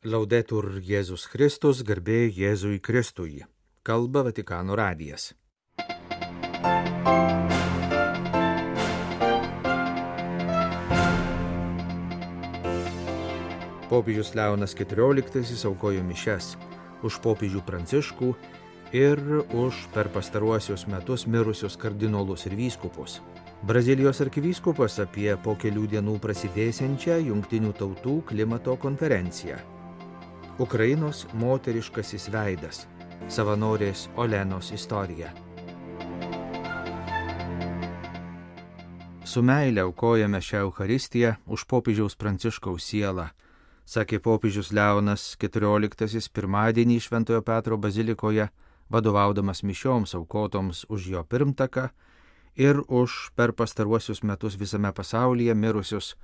Laudetur Jėzus Kristus, garbė Jėzui Kristui. Kalba Vatikano radijas. Popiežius Leonas XIV aukojo mišias už popiežių Pranciškų ir už per pastaruosius metus mirusius kardinolus ir vyskupus. Brazilijos arkivyskupas apie po kelių dienų prasidėsiančią Jungtinių tautų klimato konferenciją. Ukrainos moteriškasis veidas – savanorės Olenos istorija. Su meile aukojame šią Eucharistiją už popiežiaus Pranciškaus sielą, sakė popiežius Leonas XIV pirmadienį Šventojo Petro bazilikoje, vadovaudamas mišioms aukotoms už jo pirmtaką ir už per pastaruosius metus visame pasaulyje mirusius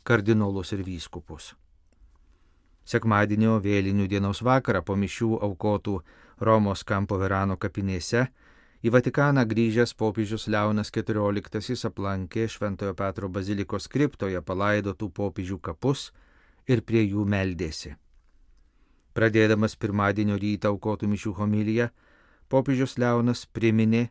kardinolus ir vyskupus. Sekmadienio vėlinių dienos vakarą po mišių aukotų Romos Campo Verano kapinėse į Vatikaną grįžęs popiežius Leonas XIV aplankė Šventojo Petro bazilikos kriptoje palaidotų popiežių kapus ir prie jų meldėsi. Pradėdamas pirmadienio rytą aukotų mišių homiliją, popiežius Leonas priminė,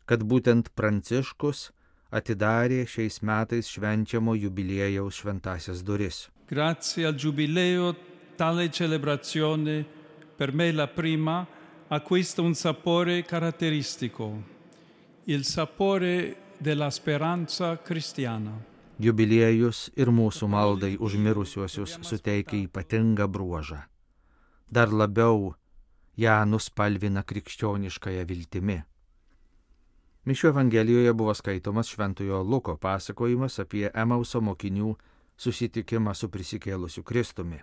kad būtent Pranciškus atidarė šiais metais švenčiamo jubiliejaus šventasias duris. Grazie al giubileo tale celebrazione per me la prima acquista un sapore caratteristico, il sapore della speranza cristiana. Jubiliejus ir mūsų maldai už mirusiuosius suteikia ypatingą bruožą. Dar labiau ją nuspalvina krikščioniškąją viltimi. Mišių Evangelijoje buvo skaitomas Šventojo Luko pasakojimas apie Emauso mokinių susitikimą su prisikėlusiu Kristumi.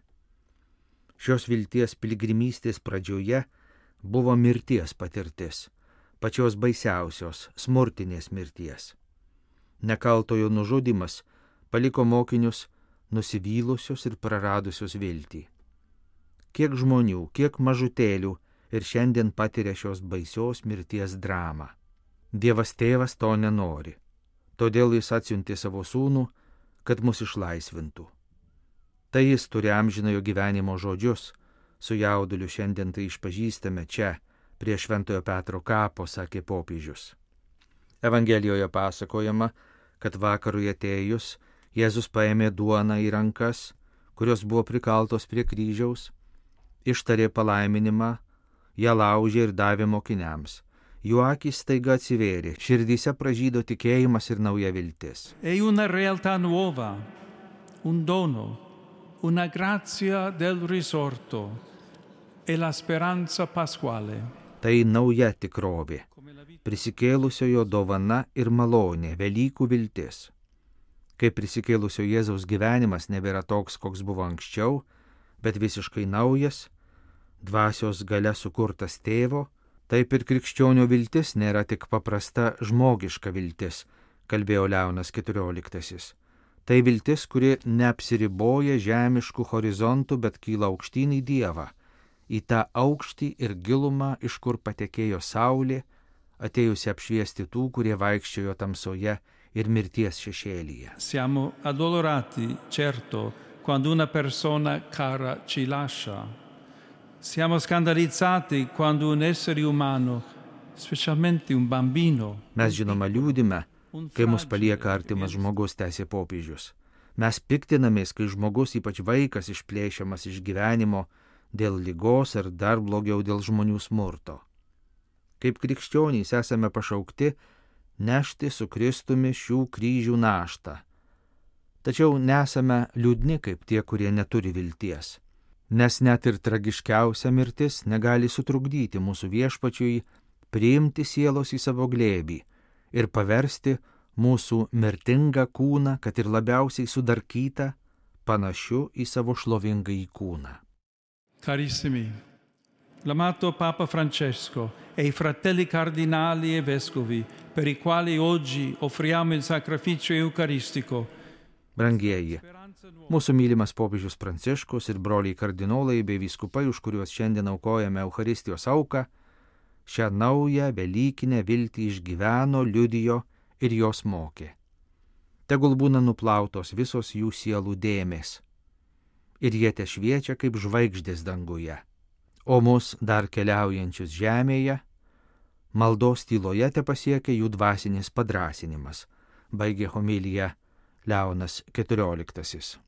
Šios vilties piligrimystės pradžioje buvo mirties patirtis, pačios baisiausios smurtinės mirties. Nekaltojo nužudymas paliko mokinius nusivylusius ir praradusius viltį. Kiek žmonių, kiek mažutėlių ir šiandien patiria šios baisios mirties dramą. Dievas tėvas to nenori, todėl jis atsiuntė savo sūnų, kad mus išlaisvintų. Tai jis turi amžinojo gyvenimo žodžius, su jauduliu šiandien tai išpažįstame čia, prie Šventojo Petro kapo, sakė popiežius. Evangelijoje pasakojama, kad vakarui atėjus, Jėzus paėmė duoną į rankas, kurios buvo prikaltos prie kryžiaus, ištarė palaiminimą, ją laužė ir davė mokiniams. Jų akys staiga atsivėrė, širdyse pražydo tikėjimas ir nauja viltis. È una realtà nuova, un dono, una grazia del risorto e la speranza pasquale. Tai nauja tikrovė, prisikėlusiojo dovana ir malonė, Velykų viltis. Kai prisikėlusio Jėzaus gyvenimas nebėra toks, koks buvo anksčiau, bet visiškai naujas, dvasios galia sukurtas tėvo, taip ir krikščionio viltis nėra tik paprasta žmogiška viltis, kalbėjo Leonas XIV. Tai viltis, kuri neapsiriboja žemiškų horizontų, bet kyla aukštyn į Dievą, į tą aukštį ir gilumą, iš kur patekėjo saulė, atėjusi apšviesti tų, kurie vaikščiojo tamsoje ir mirties šešėlyje. Siamo addolorati, certo, quando una persona cara ci lascia. Siamo scandalizzati quando un essere umano, specialmente un bambino. Mes žinoma liūdime, kai mus palieka artimas žmogus, tęsė popiežius. Mes piktinamės, kai žmogus, ypač vaikas, išplėšiamas iš gyvenimo dėl ligos ar dar blogiau dėl žmonių smurto. Kaip krikščionys esame pašaukti nešti su Kristumi šių kryžių naštą. Tačiau nesame liūdni kaip tie, kurie neturi vilties. Nes net ir tragiškiausia mirtis negali sutrukdyti mūsų viešpačiui priimti sielos į savo glėbį ir paversti mūsų mirtingą kūną, kad ir labiausiai sudarkytą, panašiu į savo šlovingąjį kūną. Carissimi, l'amato Papa Francesco e i fratelli cardinali e vescovi per i quali oggi offriamo il sacrificio eucaristico. Brangieji, mūsų mylimas popiežius Pranciškus ir broliai kardinolai bei vyskupai, už kuriuos šiandien aukojame Eucharistijos auką, šią naują velykinę viltį išgyveno, liudijo ir jos mokė. Tegul būna nuplautos visos jų sielų dėmės. ir jie tešviečia kaip žvaigždės danguje. O mus dar keliaujančius žemėje, maldos tyloje tepasiekia jų dvasinis padrąsinimas, baigė homiliją Leonas XIV.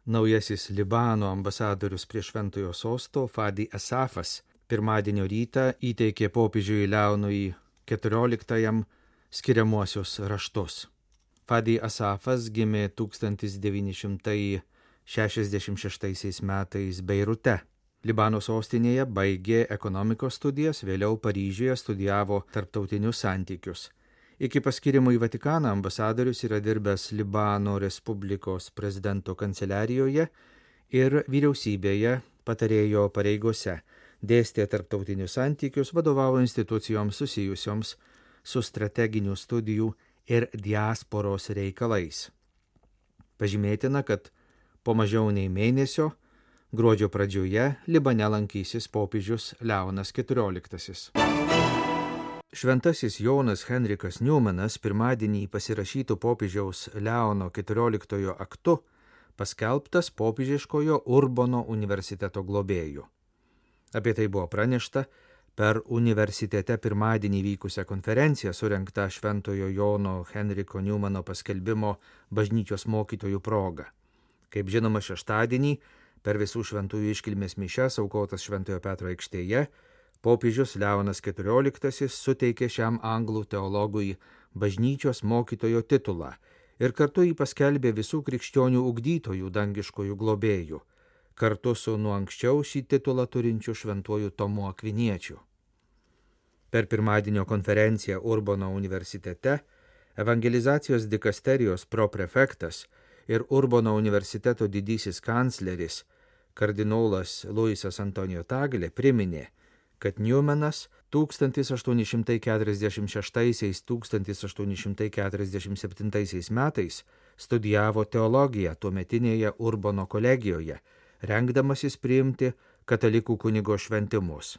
Naujasis Libano ambasadorius prie Šventojo sosto Fadi Asafas pirmadienio rytą įteikė popiežiui Leonui XIV skiriamuosius raštus. Fadi Asafas gimė 1966 metais Beirute. Libano sostinėje baigė ekonomikos studijas, vėliau Paryžiuje studijavo tarptautinius santykius. Iki paskirimo į Vatikaną ambasadorius yra dirbęs Libano Respublikos prezidento kanceliarijoje ir vyriausybėje patarėjo pareigose, dėstė tarptautinius santykius, vadovavo institucijoms susijusioms su strateginių studijų ir diasporos reikalais. Pažymėtina, kad po mažiau nei mėnesio, gruodžio pradžioje, Libane lankysis popiežius Leonas XIV. Šventasis Jonas Henrikas Newmanas pirmadienį pasirašytų popiežiaus Leono XIV aktu paskelbtas popiežiškojo Urbono universiteto globėju. Apie tai buvo pranešta per universitete pirmadienį vykusią konferenciją surengtą Šventojo Jono Henriko Newmano paskelbimo bažnyčios mokytojų proga. Kaip žinoma, šeštadienį per visų šventųjų iškilmės mišias aukotas Šventojo Petro aikštėje popiežius Leonas XIV suteikė šiam anglų teologui bažnyčios mokytojo titulą ir kartu jį paskelbė visų krikščionių ugdytojų dangiškojų globėjų, kartu su nuo anksčiau šį titulą turinčiu šventuoju Tomu Akviniečiu. Per pirmadienio konferenciją Urbono universitete evangelizacijos dikasterijos proprefektas ir Urbono universiteto didysis kancleris kardinolas Luisas Antonijo Taglė priminė, kad Newmanas 1846–1847 metais studijavo teologiją tuometinėje Urbono kolegijoje, rengdamasis priimti katalikų kunigo šventimus.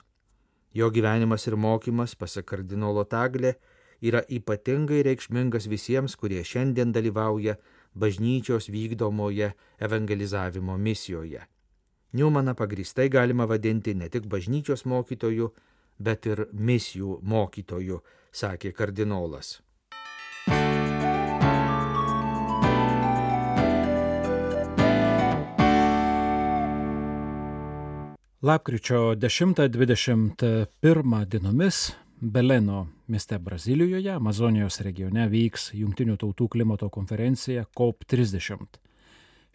Jo gyvenimas ir mokymas, pasak kardinolo Taglė, yra ypatingai reikšmingas visiems, kurie šiandien dalyvauja bažnyčios vykdomoje evangelizavimo misijoje. Newmaną pagrįstai galima vadinti ne tik bažnyčios mokytoju, bet ir misijų mokytoju, sakė kardinolas. Lapkričio 10–21 dienomis Beleno mieste Brazilijoje, Amazonijos regione vyks Jungtinių tautų klimato konferencija COP30.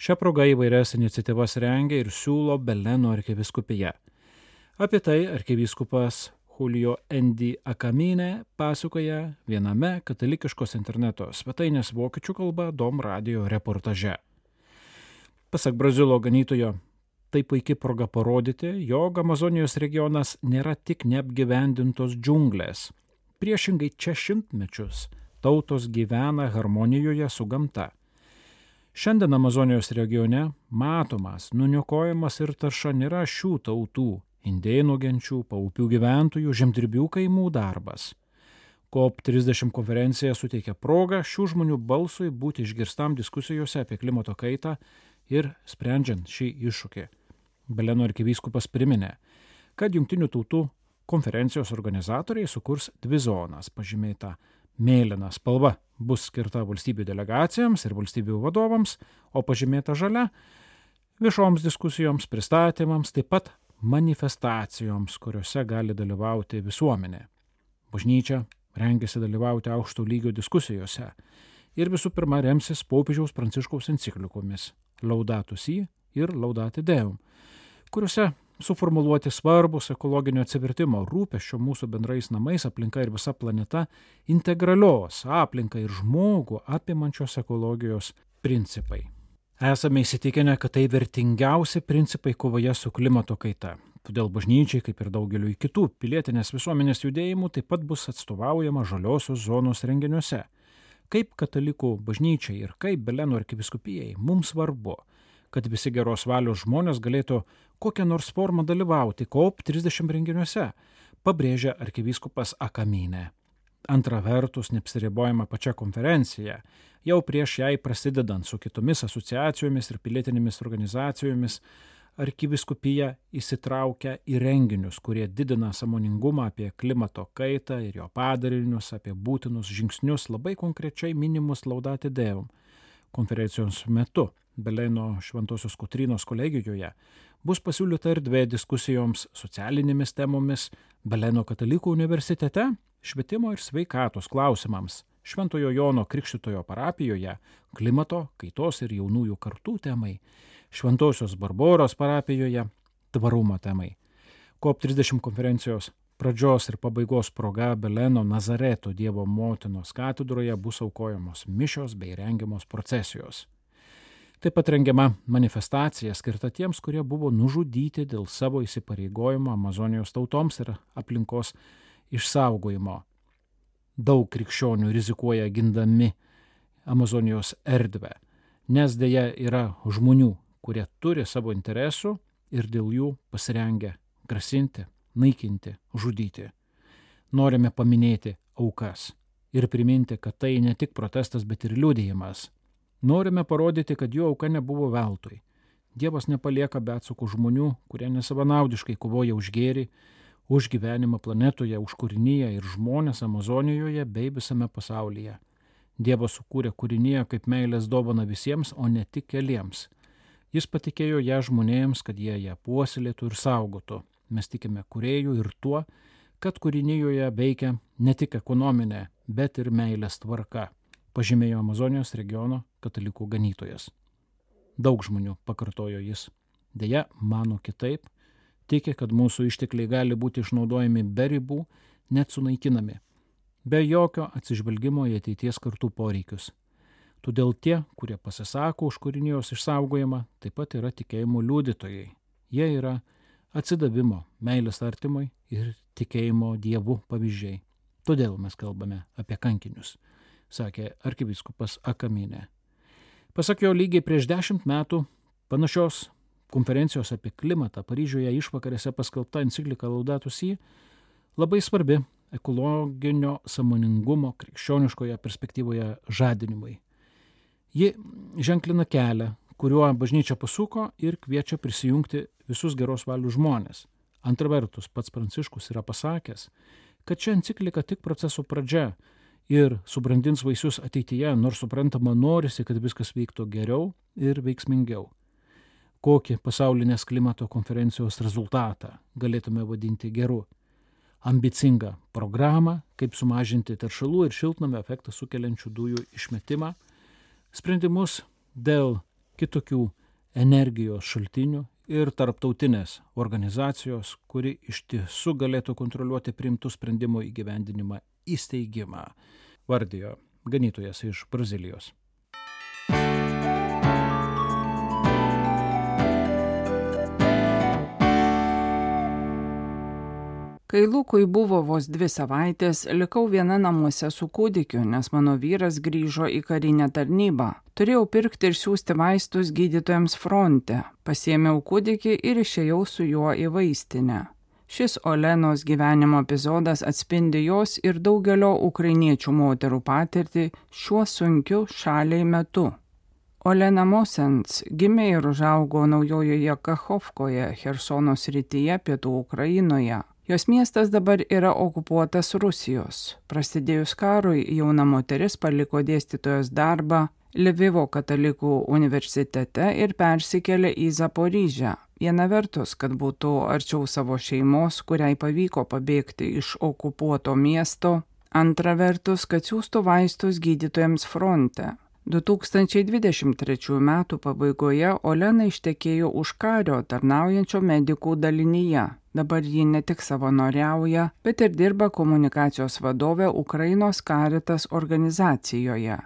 Šią progą įvairias iniciatyvas rengia ir siūlo Beleno arkivyskupija. Apie tai arkivyskupas Julio Endi Akamine pasakoja viename katalikiškos interneto svetainės vokiečių kalba Dom Radio reportaže. Pasak Brazilo ganytojo, tai puikiai proga parodyti, jog Amazonijos regionas nėra tik neapgyvendintos džiunglės. Priešingai čia šimtmečius tautos gyvena harmonijoje su gamta. Šiandien Amazonijos regione matomas nuniokojimas ir tarša nėra šių tautų, indėnų genčių, paupių gyventojų, žemdirbių kaimų darbas. COP30 konferencija suteikia progą šių žmonių balsui būti išgirstam diskusijose apie klimato kaitą ir sprendžiant šį iššūkį. Beleno arkivyskupas priminė, kad Jungtinių tautų konferencijos organizatoriai sukurs dvi zonas, pažymėta mėlyna spalva bus skirta valstybių delegacijams ir valstybių vadovams, o pažymėta žalia viešoms diskusijoms, pristatymams, taip pat manifestacijoms, kuriuose gali dalyvauti visuomenė. Bažnyčia rengiasi dalyvauti aukšto lygio diskusijose ir visų pirma remsis popiežiaus Pranciškaus enciklikomis Laudato Si ir Laudate Deum, kuriuose suformuluoti svarbus ekologinio atsivertimo, rūpesčio mūsų bendrais namais, aplinka ir visa planeta, integralios aplinką ir žmogų apimančios ekologijos principai. Esame įsitikinę, kad tai vertingiausi principai kovoje su klimato kaita. Todėl bažnyčiai, kaip ir daugeliu kitų pilietinės visuomenės judėjimų, taip pat bus atstovaujama žaliosios zonos renginiuose. Kaip katalikų bažnyčiai ir kaip Beleno arkivyskupijai mums svarbu, kad visi geros valios žmonės galėtų kokią nors formą dalyvauti COP30 renginiuose, pabrėžia arkivyskupas Akamine. Antra vertus, neapsiribojama pačia konferencija. Jau prieš jai prasidedant su kitomis asociacijomis ir pilietinėmis organizacijomis, arkivyskupija įsitraukia į renginius, kurie didina sąmoningumą apie klimato kaitą ir jo padarinius, apie būtinus žingsnius labai konkrečiai minimus Laudate Deum. Konferencijos metu Beleno Šventosios Kotrynos kolegijoje bus pasiūlyta erdvė diskusijoms socialinėmis temomis Beleno katalikų universitete, švietimo ir sveikatos klausimams, Šventojo Jono Krikštytojo parapijoje klimato, kaitos ir jaunųjų kartų temai, Šventosios Barboros parapijoje tvarumo temai. COP30 konferencijos pradžios ir pabaigos proga Beleno Nazareto Dievo motinos katedroje bus aukojamos mišios bei rengiamos procesijos. Taip pat rengiama manifestacija skirta tiems, kurie buvo nužudyti dėl savo įsipareigojimo Amazonijos tautoms ir aplinkos išsaugojimo. Daug krikščionių rizikuoja gindami Amazonijos erdvę, nes deja yra žmonių, kurie turi savo interesų ir dėl jų pasirengę grasinti, naikinti, žudyti. Norime paminėti aukas ir priminti, kad tai ne tik protestas, bet ir liudijimas. Norime parodyti, kad jų auka nebuvo veltui. Dievas nepalieka be atsakų žmonių, kurie nesavanaudiškai kovoja už gėrį, už gyvenimą planetoje, už kūriniją ir žmonės Amazonijoje bei visame pasaulyje. Dievas sukūrė kūriniją kaip meilės dovana visiems, o ne tik keliems. Jis patikėjo ją žmonėms, kad jie ją puoselėtų ir saugotų. Mes tikime kūrėjų ir tuo, kad kūrinijoje veikia ne tik ekonominė, bet ir meilės tvarka, pažymėjo Amazonijos regiono katalikų ganytojas. Daug žmonių, pakartojo jis, deja mano kitaip, tiki, kad mūsų ištekliai gali būti išnaudojami be ribų, net sunaikinami, be jokio atsižvelgimo į ateities kartų poreikius. Todėl tie, kurie pasisako už kūrinijos išsaugojimą, taip pat yra tikėjimo liudytojai. Jie yra atsidavimo, meilės artimui ir tikėjimo Dievu pavyzdžiai. Todėl mes kalbame apie kankinius, sakė arkivyskupas Akaminė. Pasak jo, lygiai prieš 10 metų panašios konferencijos apie klimatą Paryžiuje išvakarėse paskelbta enciklika Laudato Si labai svarbi ekologinio sąmoningumo krikščioniškoje perspektyvoje žadinimui. Ji ženklina kelią, kuriuo bažnyčia pasuko ir kviečia prisijungti visus geros valių žmonės. Antra vertus, pats Pranciškus yra pasakęs, kad ši enciklika tik proceso pradžia ir subrandins vaisius ateityje, nors suprantama norisi, kad viskas vyktų geriau ir veiksmingiau. Kokį pasaulinės klimato konferencijos rezultatą galėtume vadinti geru? Ambicingą programą, kaip sumažinti teršalų ir šiltnamio efektą sukeliančių dujų išmetimą, sprendimus dėl kitokių energijos šaltinių ir tarptautinės organizacijos, kuri iš tiesų galėtų kontroliuoti priimtų sprendimų įgyvendinimą įsteigimą, vardijo ganytojas iš Brazilijos. Kai Lukui buvo vos 2 savaitės, likau viena namuose su kūdikiu, nes mano vyras grįžo į karinę tarnybą. Turėjau pirkti ir siųsti vaistus gydytojams fronte. Pasiėmiau kūdikį ir išėjau su juo į vaistinę. Šis Olenos gyvenimo epizodas atspindi jos ir daugelio ukrainiečių moterų patirtį šiuo sunkiu šaliai metu. Olena Mosens gimė ir užaugo naujojoje Kachovkoje, Chersono srityje, pietų Ukrainoje. Jos miestas dabar yra okupuotas Rusijos. Prasidėjus karui, jauna moteris paliko dėstytojos darbą Lvivo katalikų universitete ir persikėlė į Zaporižę. Viena vertus, kad būtų arčiau savo šeimos, kuriai pavyko pabėgti iš okupuoto miesto. Antra vertus, kad siųstų vaistus gydytojams fronte. 2023 metų pabaigoje Olena ištekėjo už kario tarnaujančio medikų dalinyje. Dabar ji ne tik savanoriauja, bet ir dirba komunikacijos vadovė Ukrainos Caritas organizacijoje.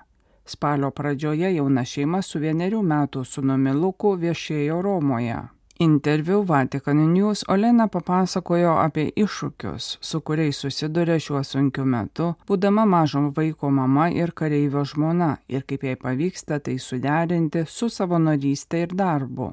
Spalio pradžioje jauna šeima su 1 metų sūnumi Luku viešėjo Romoje. Interviu Vatican News Olena papasakojo apie iššūkius, su kuriais susiduria šiuo sunkiu metu, būdama mažo vaiko mama ir kareivio žmona, ir kaip jai pavyksta tai suderinti su savanorystė ir darbu.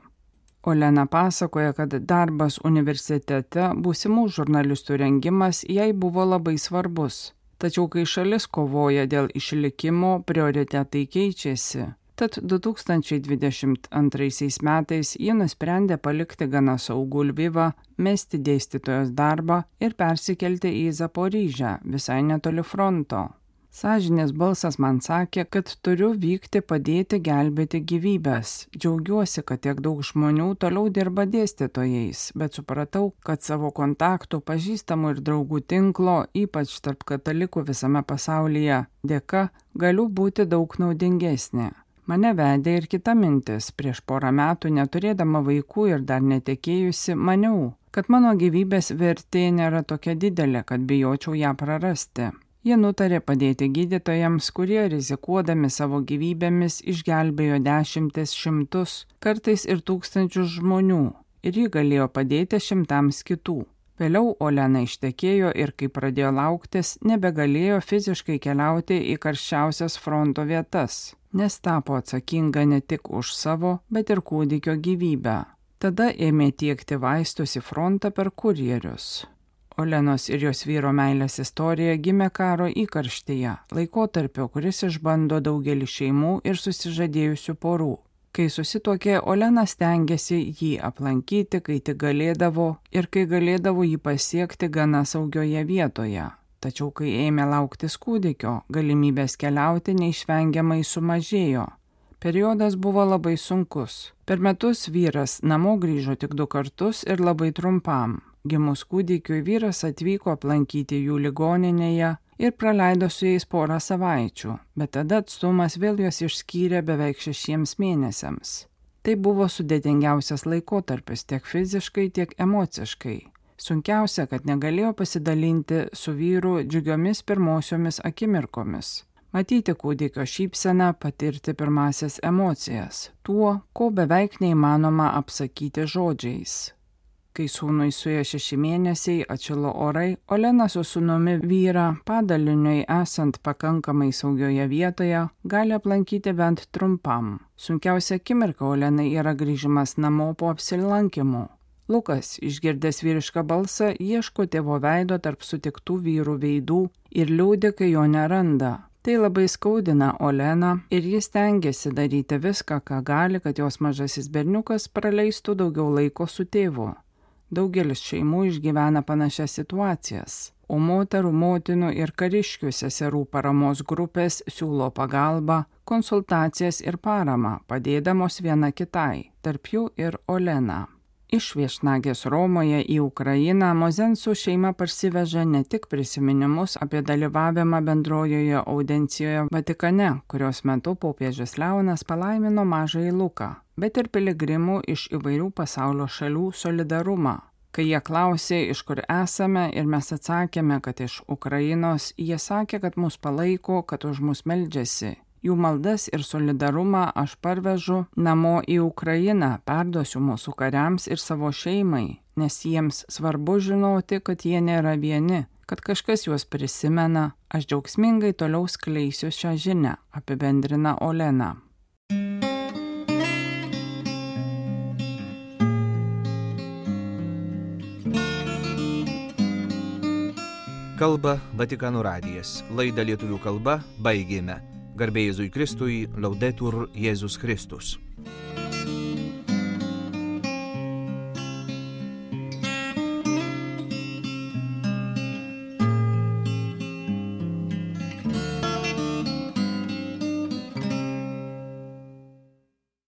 Olena pasakoja, kad darbas universitete, būsimų žurnalistų rengimas jai buvo labai svarbus. Tačiau kai šalis kovoja dėl išlikimo, prioritetai keičiasi. Tad 2022 metais ji nusprendė palikti gana saugų Lvivą, mesti dėstytojos darbą ir persikelti į Zaporižę, visai netoli fronto. Sąžinės balsas man sakė, kad turiu vykti padėti gelbėti gyvybės. Džiaugiuosi, kad tiek daug žmonių toliau dirba dėstytojais, bet supratau, kad savo kontaktų, pažįstamų ir draugų tinklo, ypač tarp katalikų visame pasaulyje, dėka galiu būti daug naudingesnė. Mane vedė ir kita mintis. Prieš porą metų, neturėdama vaikų ir dar netekėjusi, maniau, kad mano gyvybės vertė nėra tokia didelė, kad bijočiau ją prarasti. Jie nutarė padėti gydytojams, kurie rizikuodami savo gyvybėmis išgelbėjo dešimtis, šimtus, kartais ir tūkstančius žmonių, ir ji galėjo padėti šimtams kitų. Vėliau Olena ištekėjo ir kai pradėjo lauktis, nebegalėjo fiziškai keliauti į karščiausias fronto vietas, nes tapo atsakinga ne tik už savo, bet ir kūdikio gyvybę. Tada ėmė tiekti vaistus į frontą per kurjerius. Olenos ir jos vyro meilės istorija gimė karo įkarštyje, laikotarpio, kuris išbando daugelį šeimų ir susižadėjusių porų. Kai susituokė, Olena stengiasi jį aplankyti, kai tik galėdavo ir kai galėdavo jį pasiekti gana saugioje vietoje. Tačiau kai ėmė lauktis kūdikio, galimybės keliauti neišvengiamai sumažėjo. Periodas buvo labai sunkus. Per metus vyras namo grįžo tik 2 kartus ir labai trumpam. Gimus kūdikiui vyras atvyko aplankyti jų ligoninėje ir praleido su jais porą savaičių, bet tada atstumas vėl juos išskyrė beveik 6 mėnesiams. Tai buvo sudėtingiausias laikotarpis tiek fiziškai, tiek emociškai. Sunkiausia, kad negalėjo pasidalinti su vyru džiugiomis pirmosiomis akimirkomis. Matyti kūdikio šypseną, patirti pirmasias emocijas, tuo, ko beveik neįmanoma apsakyti žodžiais. Kai sūnui suėjo 6 mėnesiai, atšilo orai, Olena su sūnumi vyrą padaliniui esant pakankamai saugioje vietoje gali aplankyti bent trumpam. Sunkiausia akimirka Olenai yra grįžimas namo po apsilankimų. Lukas, išgirdęs vyrišką balsą, ieško tėvo veido tarp sutiktų vyrų veidų ir liūdi, kai jo neranda. Tai labai skaudina Oleną ir jis stengiasi daryti viską, ką gali, kad jos mažasis berniukas praleistų daugiau laiko su tėvu. Daugelis šeimų išgyvena panašias situacijas, o moterų, motinų ir kariškių seserų paramos grupės siūlo pagalbą, konsultacijas ir paramą, padėdamos viena kitai, tarp jų ir Olena. Iš viešnagės Romoje į Ukrainą Mozensų šeima parsiveža ne tik prisiminimus apie dalyvavimą bendrojoje audencijoje Vatikane, kurios metu popiežius Leonas palaimino mažąjį Luką, bet ir piligrimų iš įvairių pasaulio šalių solidarumą. Kai jie klausė, iš kur esame ir mes atsakėme, kad iš Ukrainos, jie sakė, kad mus palaiko, kad už mus meldžiasi. Jų maldas ir solidarumą aš parvežu namo į Ukrainą, perduosiu mūsų kariams ir savo šeimai, nes jiems svarbu žinoti, kad jie nėra vieni, kad kažkas juos prisimena, aš džiaugsmingai toliau skleisiu šią žinią, apibendrina Olena. Kalba Vatikano radijas. Laidą lietuvių kalba baigėme. Garbė Jėzui Kristui, Laudetur Jėzus Kristus.